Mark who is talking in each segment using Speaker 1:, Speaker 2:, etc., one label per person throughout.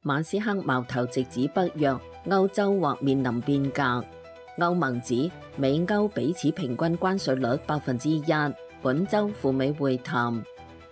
Speaker 1: 馬斯克矛頭直指北約，歐洲或面臨變革。歐盟指美歐彼此平均關稅率1%，本週赴美會談。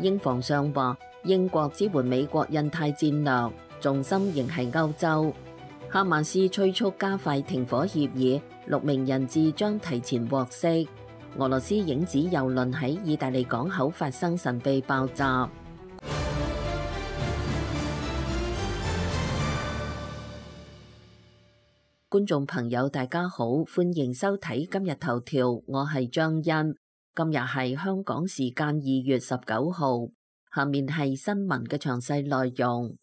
Speaker 1: 英防相話，英國支援美國印太戰略，重心仍係歐洲。哈馬斯催促加快停火協議，6名人質將提前獲釋。俄羅斯影子郵輪喺意大利港口發生神秘爆炸。觀眾朋友大家好，歡迎收睇今日頭條，我係張欣。今日係香港時間2月19號，下面係新聞嘅詳細內容。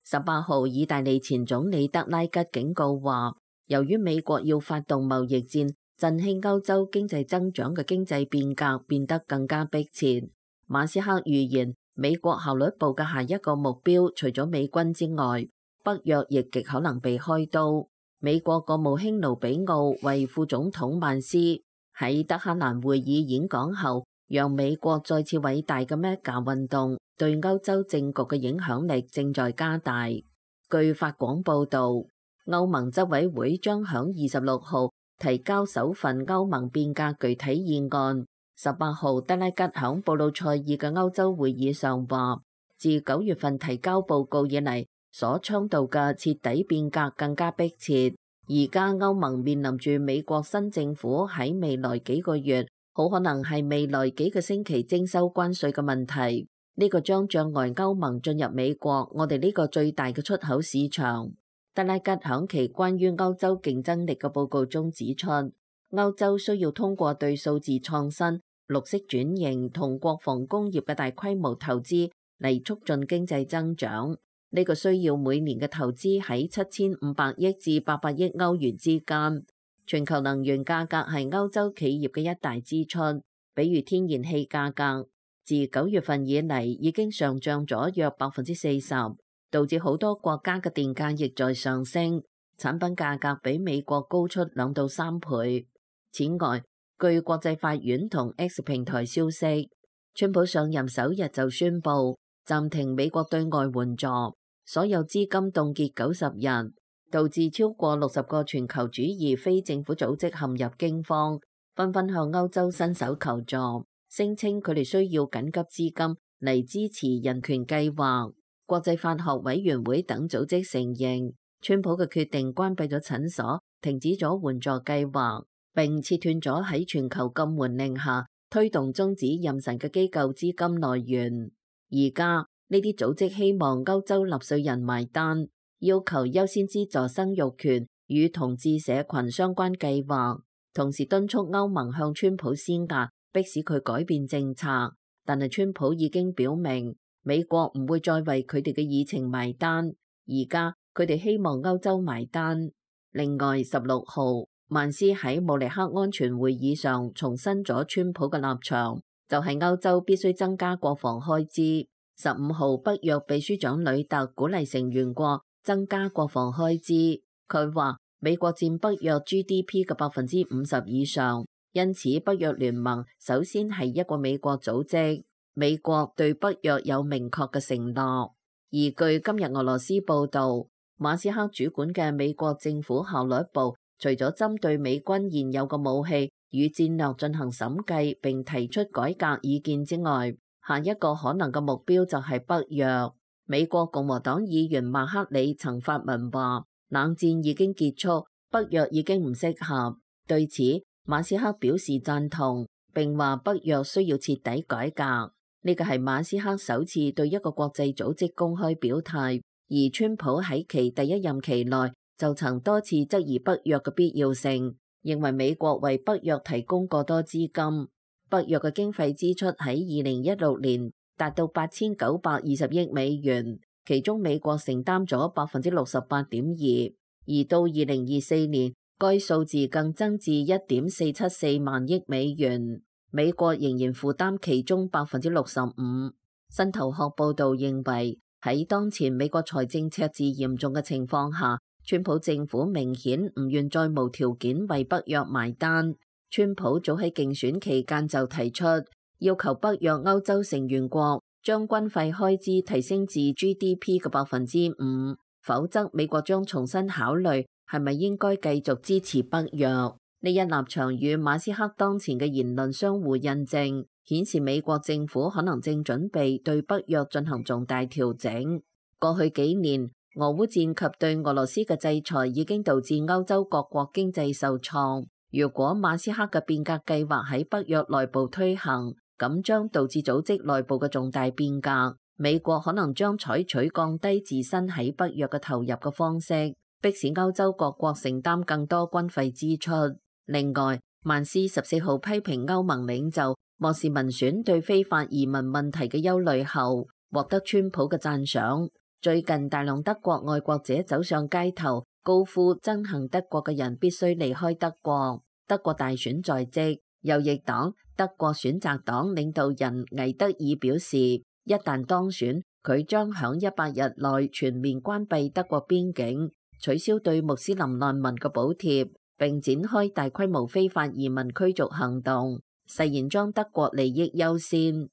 Speaker 1: 18號，意大利前總理德拉吉警告話，由於美國要發動貿易戰，振興歐洲經濟增長嘅經濟變革變得更加迫切。馬斯克預言，美國效率部嘅下一個目標，除咗美軍之外，北約亦極可能被開刀。美國國務卿盧比奧為副總統曼斯喺德黑蘭會議演講後，讓美國再次偉大嘅 MEGA 運動對歐洲政局嘅影響力正在加大。據法廣報導，歐盟執委會將響26號提交首份歐盟變革具體議案。18號，德拉吉響布魯塞爾嘅歐洲會議上話，自9月份提交報告以嚟，所倡導嘅徹底變革更加迫切。而家歐盟面臨住美國新政府喺未來幾個月，好可能係未來幾個星期徵收關稅嘅問題。呢個將障礙歐盟進入美國，我哋呢個最大嘅出口市場。德拉吉響其關於歐洲競爭力嘅報告中指出，歐洲需要通過對數字創新、綠色轉型同國防工業嘅大規模投資嚟促進經濟增長。呢個需要每年嘅投資喺7500億至800億歐元之間。全球能源價格係歐洲企業嘅一大支出，比如天然氣價格，自9月份以嚟已經上漲咗約40%，導致好多國家嘅電價亦在上升，產品價格比美國高出2到3倍。此外，據國際法院同 X 平台消息，川普上任首日就宣布暫停美國對外援助，所有資金凍結90日，導致超過60個全球主義非政府組織陷入驚慌，紛紛向歐洲伸手求助，聲稱佢哋需要緊急資金嚟支持人權計劃。國際法學委員會等組織承認，川普嘅決定關閉咗診所，停止咗援助計劃，並切斷咗喺全球禁援令下推動終止妊娠嘅機構資金來源。而家呢啲組織希望歐洲納稅人埋單，要求優先資助生育權與同志社群相關計劃，同時敦促歐盟向川普施壓，迫使佢改變政策。但係川普已經表明，美國唔會再為佢哋嘅議程埋單，而家佢哋希望歐洲埋單。另外，16號，曼斯喺慕尼黑安全會議上重申咗川普嘅立場，就係歐洲必須增加國防開支。15號，北約秘書長呂特鼓勵成員國增加國防開支。佢話美國佔北約 GDP 嘅50%以上，因此北約聯盟首先係一個美國組織。美國對北約有明確嘅承諾。而據今日俄羅斯報導，馬斯克主管嘅美國政府效率部，除咗針對美軍現有嘅武器與戰略進行審計並提出改革意見之外，下一個可能嘅目標就係北約。美國共和黨議員麥克里曾發文話，冷戰已經結束，北約已經唔適合。對此，馬斯克表示贊同，並話北約需要徹底改革。呢個係馬斯克首次對一個國際組織公開表態，而川普喺其第一任期內就曾多次質疑北約嘅必要性，認為美國為北約提供過多資金。北約嘅經費支出喺2016年達到8920億美元，其中美國承擔咗68.2%，而到2024年，該數字更增至1.474萬億美元，美國仍然負擔其中65%。新頭殼報導認為，喺當前美國財政赤字嚴重嘅情況下，川普政府明顯唔願再無條件為北約埋單。川普早喺競選期間就提出，要求北約歐洲成員國將軍費開支提升至 GDP 嘅5%，否則美國將重新考慮係咪應該繼續支持北約。呢一立場與馬斯克當前嘅言論相互印證，顯示美國政府可能正準備對北約進行重大調整。過去幾年，俄烏戰及對俄羅斯嘅制裁已經導致歐洲各國經濟受創。如果馬斯克嘅變革計劃喺北約內部推行，咁將導致組織內部嘅重大變革。美國可能將採取降低自身喺北約嘅投入嘅方式，迫使歐洲各國承擔更多軍費支出。另外，曼斯14號批評歐盟領袖漠視民選對非法移民問題嘅憂慮後，獲得川普嘅讚賞。最近大量德國愛國者走上街頭，高呼憎恨德國嘅人必須離開德國。德國大選在即。右翼黨德國選擇黨領導人魏德爾表示，一旦當選，佢將響100日內全面關閉德國邊境，取消對穆斯林難民嘅補貼，並展開大規模非法移民驅逐行動，誓言將德國利益優先。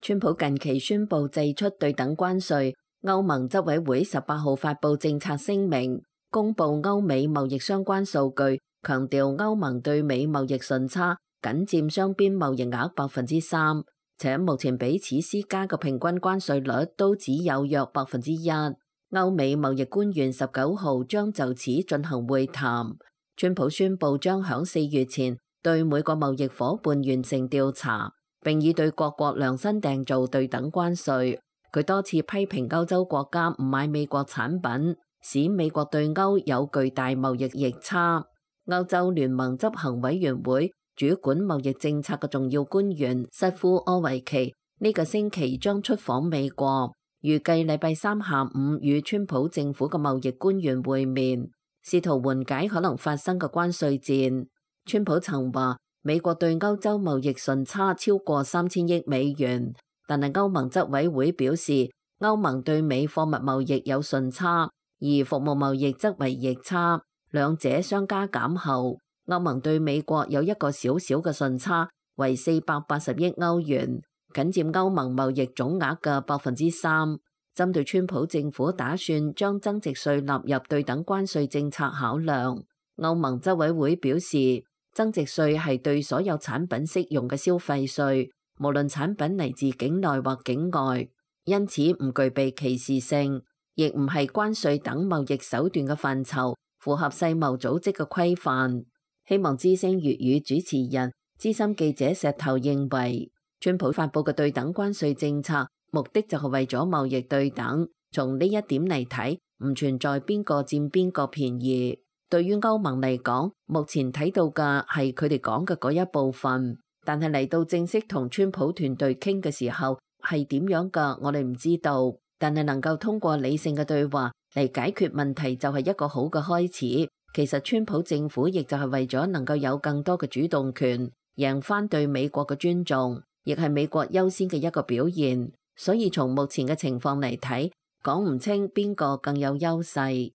Speaker 1: 川普近期宣布祭出對等關稅，歐盟執委會18號發布政策聲明，公布歐美貿易相關數據，強調歐盟對美貿易順差僅佔雙邊貿易額3%，且目前彼此施加嘅平均關稅率都只有約1%。歐美貿易官員19號將就此進行會談。川普宣布將響4月前對每個貿易夥伴完成調查，並以對各國量身訂造對等關稅。佢多次批評歐洲國家唔買美國產品，使美國對歐有巨大貿易逆差。歐洲聯盟執行委員會主管貿易政策嘅重要官員瑟夫柯維奇呢個星期將出訪美國，預計禮拜三下午與川普政府嘅貿易官員會面，試圖緩解可能發生嘅關稅戰。川普曾話美國對歐洲貿易順差超過3000億美元，但係歐盟執委會表示歐盟對美貨物貿易有順差，而服務貿易則為逆差，兩者相加減後，歐盟對美國有一個小小嘅順差，為480億歐元，僅佔歐盟貿易總額嘅3%。針對川普政府打算將增值稅納入對等關稅政策考量，歐盟執委會表示，增值稅係對所有產品適用嘅消費稅，無論產品嚟自境內或境外，因此唔具備歧視性。亦唔係關稅等貿易手段嘅範疇，符合世貿組織嘅規範。希望之聲粵語主持人資深記者石頭認為，川普發佈嘅對等關稅政策目的就係為咗貿易對等。從呢一點嚟睇，唔存在邊個佔邊個便宜。對於歐盟嚟講，目前睇到嘅係佢哋講嘅嗰一部分，但係嚟到正式同川普團隊傾嘅時候係點樣㗎，我哋唔知道。但係能夠通過理性嘅對話嚟解決問題就係一個好嘅開始。其實川普政府亦就係為咗能夠有更多嘅主動權，贏返對美國嘅尊重，亦係美國優先嘅一個表現。所以從目前嘅情況嚟睇，講唔清邊個更有優勢。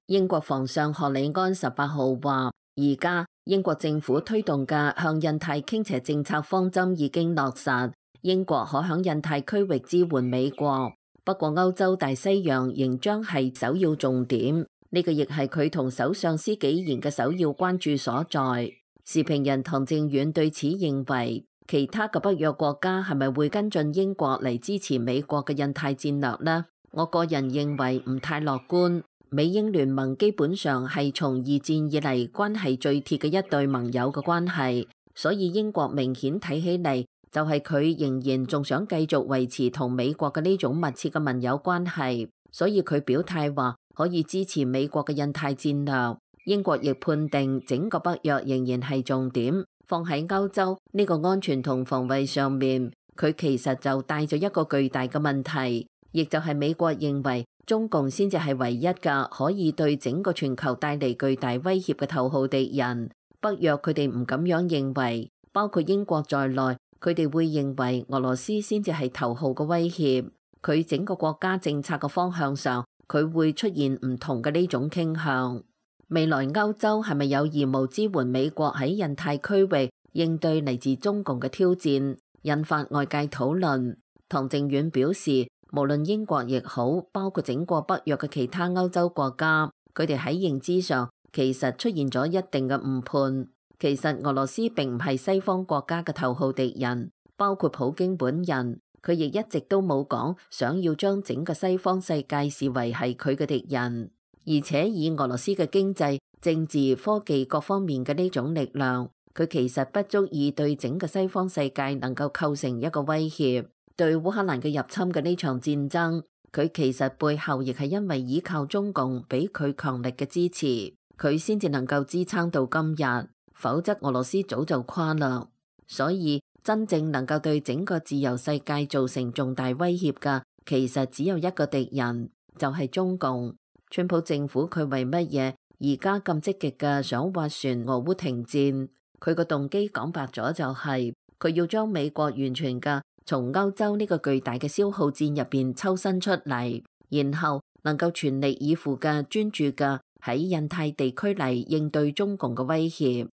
Speaker 1: 英國防相賀里安18號話，而家英國政府推動嘅向印太傾斜政策方針已經落實，英國可響印太區域支援美國。不過歐洲大西洋仍將係首要重點，呢個亦係佢同首相施紀賢嘅首要關注所在。時評人唐正遠對此認為，其他嘅北約國家係咪會跟進英國嚟支持美國嘅印太戰略呢？我個人認為唔太樂觀。美英聯盟基本上係從二戰以嚟關係最鐵嘅一對盟友嘅關係，所以英國明顯睇起嚟就係佢仍然仲想繼續維持同美國嘅呢種密切嘅盟友關係，所以佢表態話可以支持美國嘅印太戰略。英國亦判定整個北約仍然係重點，放喺歐洲呢個安全同防衛上面，佢其實就帶咗一個巨大嘅問題，亦就係美國認為中共先至係唯一嘅可以對整個全球帶嚟巨大威脅嘅頭號敵人。北約佢哋唔咁樣認為，包括英國在內，佢哋會認為俄羅斯先至係頭號嘅威脅。佢整個國家政策嘅方向上，佢會出現唔同嘅呢種傾向。未來歐洲係咪有義務支援美國喺印太區域應對嚟自中共嘅挑戰，引發外界討論。唐靖遠表示，無論英國亦好，包括整個北約嘅其他歐洲國家，佢哋喺認知上其實出現咗一定嘅誤判。其實俄羅斯並唔係西方國家嘅頭號敵人，包括普京本人，佢亦一直都冇講想要將整個西方世界視為係佢嘅敵人。而且以俄羅斯嘅經濟、政治、科技各方面嘅呢種力量，佢其實不足以對整個西方世界能夠構成一個威脅。對烏克蘭嘅入侵嘅呢場戰爭，佢其實背後亦係因為依靠中共俾佢強力嘅支持，佢先至能夠支撐到今日，否則俄羅斯早就垮啦。所以真正能夠對整個自由世界造成重大威脅嘅，其實只有一個敵人，就係中共。川普政府佢為乜嘢而家咁積極嘅想斡旋俄烏停戰？佢個動機講白咗就係佢要將美國完全嘅從歐洲呢個巨大嘅消耗戰入邊抽身出嚟，然後能夠全力以赴嘅專注嘅喺印太地區嚟應對中共嘅威脅。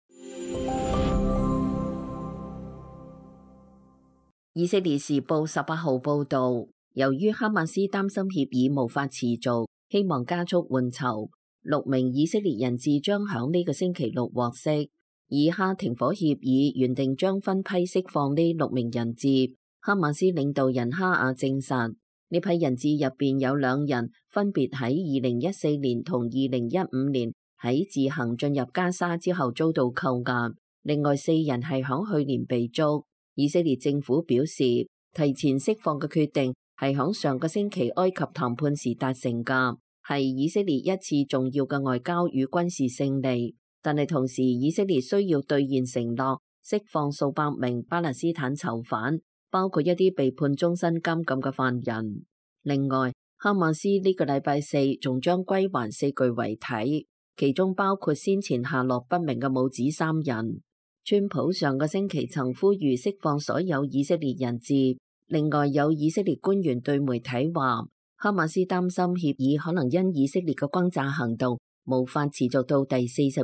Speaker 1: 以色列時報18號報導，由於哈馬斯擔心協議無法持續，希望加速換囚，6名以色列人質將響呢個星期六獲釋。以哈停火協議原定將分批釋放呢6名人質。哈馬斯領導人哈亞證實，呢批人質入邊有2人分別喺2014年同2015年喺自行進入加沙之後遭到扣押，另外4人係響去年被捉。以色列政府表示，提前釋放嘅決定係響上個星期埃及談判時達成㗎，係以色列一次重要嘅外交與軍事勝利。但係同時，以色列需要兌現承諾，釋放數百名巴勒斯坦囚犯，包括一啲被判終身監禁嘅犯人。另外，哈馬斯呢個禮拜4仲將歸還4具遺體，其中包括先前下落不明嘅母子3人。川普上個星期曾呼籲釋放所有以色列人質。另外，有以色列官員對媒體話，哈馬斯擔心協議可能因以色列嘅轟炸行動無法持續到第42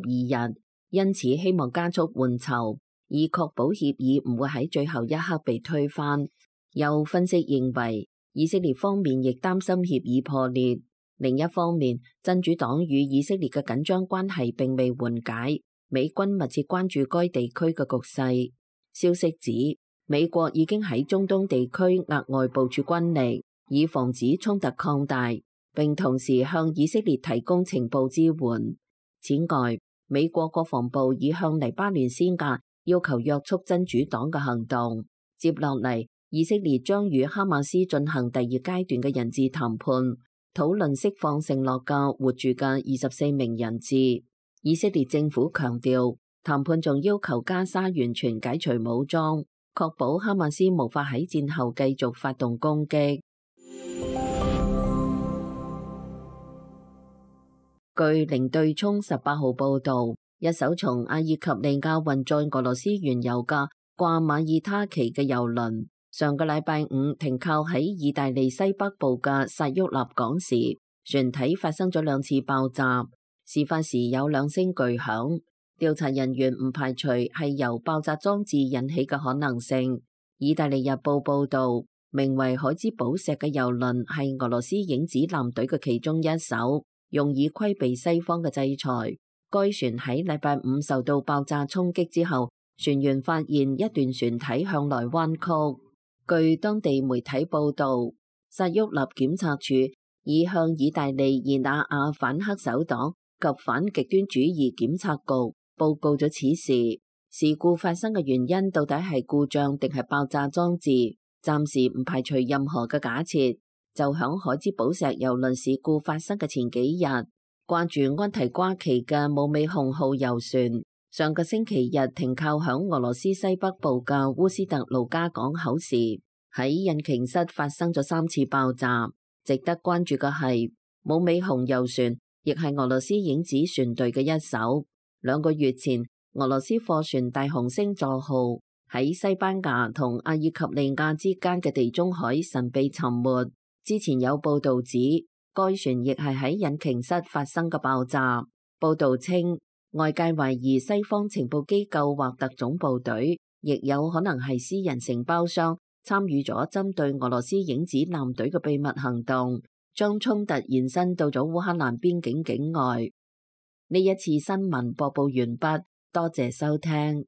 Speaker 1: 日，因此希望加速換囚，以確保協議唔會喺最後一刻被推翻。有分析認為，以色列方面亦擔心協議破裂。另一方面，真主黨與以色列嘅緊張關係並未緩解，美軍密切關注該地區嘅局勢。消息指，美國已經喺中東地區額外部署軍力，以防止衝突擴大，並同時向以色列提供情報支援。此外，美國國防部已向黎巴嫩施壓，要求約束真主黨嘅行動。接落嚟，以色列將與哈馬斯進行第2階段嘅人質談判，討論釋放承諾嘅活住嘅24名人質。以色列政府強調，談判仲要求加沙完全解除武裝，確保哈馬斯無法喺戰後繼續發動攻擊。據零對沖18號報導，一艘從阿爾及利亞運載俄羅斯原油嘅掛馬爾他旗嘅油輪，上個禮拜5停靠喺意大利西北部嘅薩沃納港時，船體發生咗2次爆炸。事發時有2聲巨響，調查人員唔排除係由爆炸裝置引起嘅可能性。意大利日報報導，名為海之寶石嘅油輪係俄羅斯影子艦隊嘅其中一艘，用以規避西方嘅制裁。該船喺禮拜5受到爆炸衝擊之後，船員發現一段船體向內彎曲。據當地媒體報導，薩沃納檢察署已向意大利熱那亞反黑手黨及反極端主義檢察局報告咗此事。事故發生嘅原因到底係故障定係爆炸裝置，暫時唔排除任何嘅假設。就響海之寶石郵輪事故發生嘅前幾日，掛住安提瓜旗嘅姆美雄號郵船，上個星期日停靠響俄羅斯西北部嘅烏斯特盧加港口時，喺引擎室發生咗3次爆炸。值得關注嘅係，姆美雄郵船亦係俄羅斯影子船隊嘅一艘。2個月前，俄羅斯貨船大紅星座號喺西班牙同阿爾及利亞之間嘅地中海神秘沉沒。之前有報道指，該船亦係喺引擎室發生嘅爆炸。報道稱，外界懷疑西方情報機構或特種部隊，亦有可能係私人承包商，參與咗針對俄羅斯影子艦隊嘅秘密行動，將衝突延伸到咗烏克蘭邊境境外。呢一次新聞播報完畢，多謝收聽。